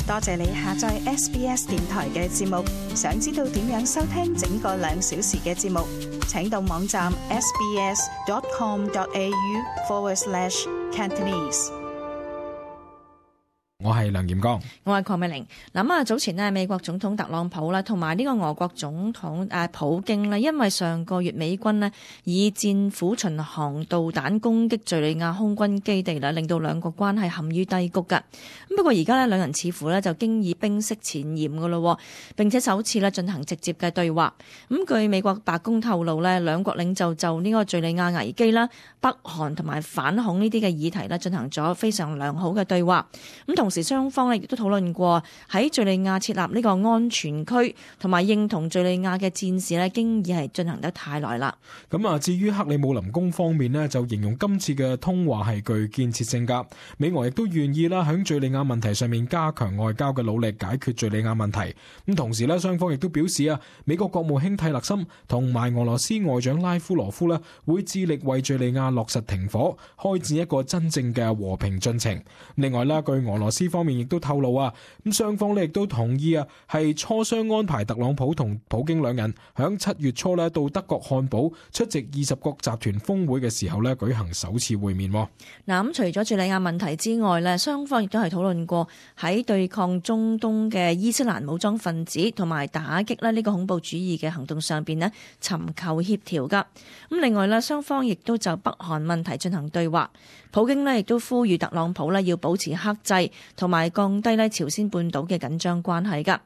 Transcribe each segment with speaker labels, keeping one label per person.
Speaker 1: 多謝你下載 SBS 電台嘅節目。想知道點樣收聽整個2小時嘅節目，請到網站 sbs.com.au/Cantonese。
Speaker 2: 我係梁炎剛，
Speaker 3: 我係鄺美玲。嗱早前呢，美國總統特朗普啦，同埋呢個俄國總統普京呢，因為上個月美軍呢以戰斧巡航導彈攻擊敘利亞空軍基地啦，令到兩國關係陷於低谷㗎。不過而家呢，兩人似乎呢就經已冰釋前嫌㗎咯，並且首次呢進行直接嘅對話。據美國白宮透露呢，兩國領袖就呢個敘利亞危機啦、北韓同埋反恐呢啲嘅議題呢進行咗非常良好嘅對話。同時雙方亦都討論過喺敘利亞設立呢個安全區，同埋認同敘利亞嘅戰事呢經已係進行得太耐啦。
Speaker 2: 至於克里姆林宮方面呢，就形容今次嘅通話係具建設性㗎。美俄亦都願意啦，喺敘利亞問題上面加強外交嘅努力，解決敘利亞問題。同時呢，雙方亦都表示美國國務卿蒂勒森同埋俄羅斯外長拉夫羅夫呢會致力為敘利亞落實停火，開展一個真正嘅和平進程。另外呢，據俄羅斯方面亦都透露雙方呢亦都同意係磋商安排特朗普同普京兩人響7月初呢到德國漢堡出席20國集團峰會嘅時候呢舉行首次會面。
Speaker 3: 除咗敘利亞問題之外呢，雙方亦都係討論過喺對抗中東嘅伊斯蘭武裝分子同埋打擊呢個恐怖主義嘅行動上邊呢尋求協調噶。另外呢，雙方亦都就北韓問題進行對話。普京呢亦都呼籲特朗普呢要保持克制，同埋降低呢朝鮮半島嘅緊張關係㗎。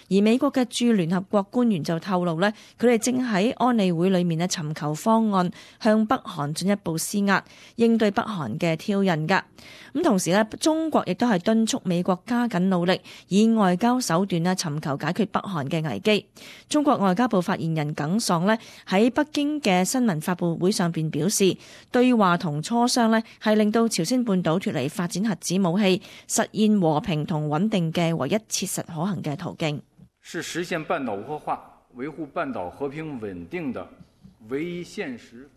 Speaker 3: 而美國嘅駐聯合國官員就透露呢，佢哋正喺安理會裏面呢尋求方案，向北韓進一步施壓，應對北韓嘅挑釁㗎。同時呢，中國亦都係敦促美國加緊努力，以外交手段呢尋求解決北韓嘅危機。中國外交部發言人耿爽呢喺北京嘅新聞發佈會上邊表示，對話同磋商呢係令到朝鮮半島脫離發展核子武器、實現和平同穩定嘅唯一切實可行嘅途徑，
Speaker 4: 是實現半島無核化、維護半島和平穩定的唯一現實。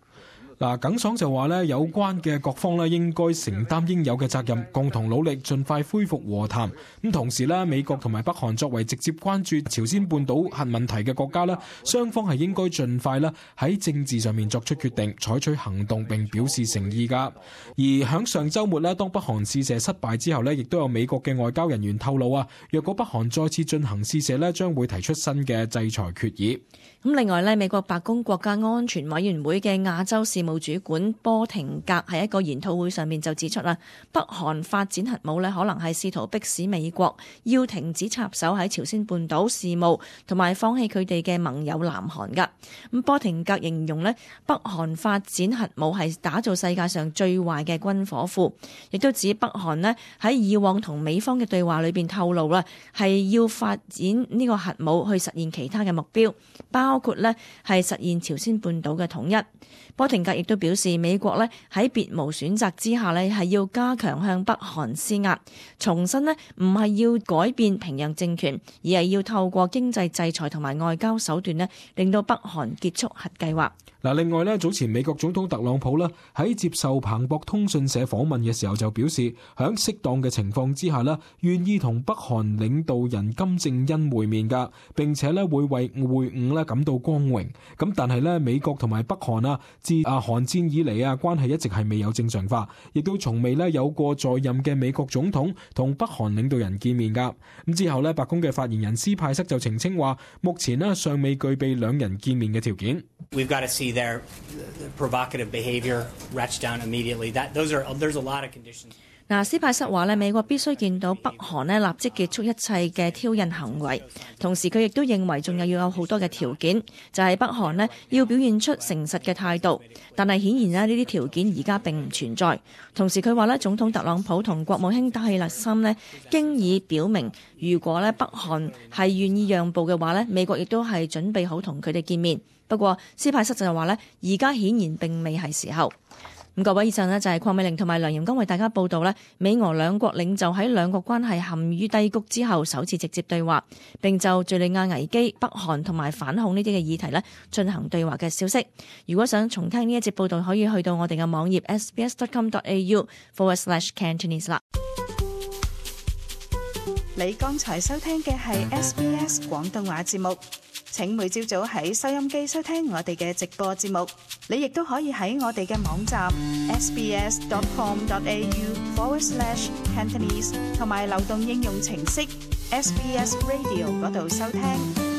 Speaker 2: 耿爽就話呢，有關嘅各方呢應該承擔應有嘅責任，共同努力盡快恢復和談。同時呢，美國同埋北韓作為直接關注朝鮮半島核問題嘅國家呢，雙方係應該盡快啦喺政治上面作出決定，採取行動並表示誠意㗎。而響上週末呢，當北韓試射失敗之後呢，亦都有美國嘅外交人員透露若果北韓再次進行試射呢，將會提出新嘅制裁決議。
Speaker 3: 另外呢，美國白宮國家安全委員會嘅亞洲事務主管波廷格喺一個研討會上面就指出北韓發展核武呢，可能係試圖迫使美國要停止插手喺朝鮮半島事務，同埋放棄佢哋嘅盟友南韓噶。波廷格形容呢，北韓發展核武係打造世界上最壞嘅軍火庫，亦都指北韓呢喺以往同美方嘅對話裏邊透露係要發展呢個核武去實現其他嘅目標，包括呢係實現朝鮮半島嘅統一。波廷格亦都表示，美國呢喺別無選擇之下呢係要加強向北韓施壓，重申呢唔係要改變平壤政權，而係要透過經濟制裁同埋外交手段呢令到北韓結束核計劃。
Speaker 2: 另外呢，早前美國總統特朗普喺接受彭博通訊社訪問嘅時候就表示，喺適當嘅情況之下願意同北韓領導人金正恩會面㗎，並且會為會晤感到光榮。但係美國同埋北韓自韓戰以嚟關係一直係未有正常化，亦都從未有過在任嘅美國總統同北韓領導人見面㗎。之後白宮嘅發言人斯派塞就澄清話，目前尚未具備兩人見面嘅條件。
Speaker 5: We've got to see their provocative behavior ratchet down immediately. There's a lot of conditions.
Speaker 3: 斯派塞話美國必須見到北韓立即結束一切嘅挑釁行為，同時佢亦都認為仲要有好多嘅條件，就係北韓要表現出誠實嘅態度，但係顯然呢啲條件而家並唔存在。同時佢話總統特朗普同國務卿蒂勒森經已表明，如果北韓係願意讓步嘅話美國亦都係準備好同佢哋見面。不過斯派塞就話而家顯然並未係時候。各位，以上就係鄺美玲同埋梁炎剛為大家報道美俄兩國領袖喺兩國關係陷於低谷之後首次直接對話，並就敘利亞危機、北韓同埋反恐呢啲嘅議題進行對話嘅消息。如果想重聽呢一節報道，可以去到我哋嘅網頁 sbs.com.au/Cantonese 啦。
Speaker 1: 你剛才收聽嘅係 SBS 廣東話節目。請每朝早喺收音機收聽我哋嘅直播節目。你亦都可以喺我哋嘅網站 sbs.com.au/Cantonese 同埋流動應用程式 SBS Radio 嗰度收聽。